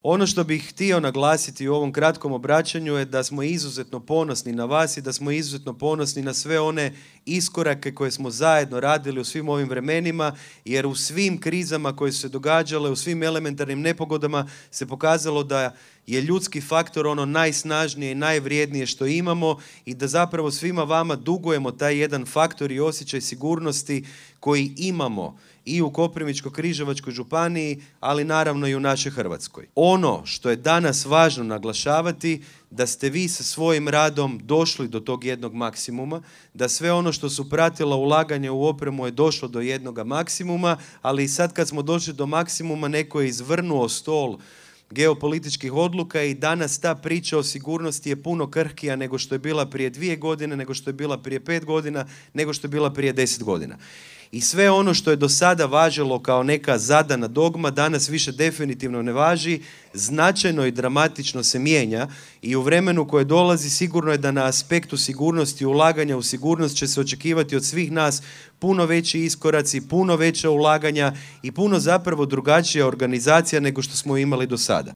Ono što bih htio naglasiti u ovom kratkom obraćanju je da smo izuzetno ponosni na vas i da smo izuzetno ponosni na sve one iskorake koje smo zajedno radili u svim ovim vremenima, jer u svim krizama koje su se događale, u svim elementarnim nepogodama se pokazalo da je ljudski faktor ono najsnažnije i najvrijednije što imamo i da zapravo svima vama dugujemo taj jedan faktor i osjećaj sigurnosti koji imamo i u Koprivničko-križevačkoj županiji, ali naravno i u našoj Hrvatskoj. Ono što je danas važno naglašavati, da ste vi sa svojim radom došli do tog jednog maksimuma, da sve ono što su pratila ulaganja u opremu je došlo do jednoga maksimuma, ali i sad kad smo došli do maksimuma, neko je izvrnuo stol geopolitičkih odluka i danas ta priča o sigurnosti je puno krhkija nego što je bila prije 2 godine, nego što je bila prije 5 godina, nego što je bila prije 10 godina. I sve ono što je do sada važilo kao neka zadana dogma, danas više definitivno ne važi, značajno i dramatično se mijenja i u vremenu koje dolazi sigurno je da na aspektu sigurnosti, ulaganja u sigurnost će se očekivati od svih nas puno veći iskoraci, puno veća ulaganja i puno zapravo drugačija organizacija nego što smo imali do sada.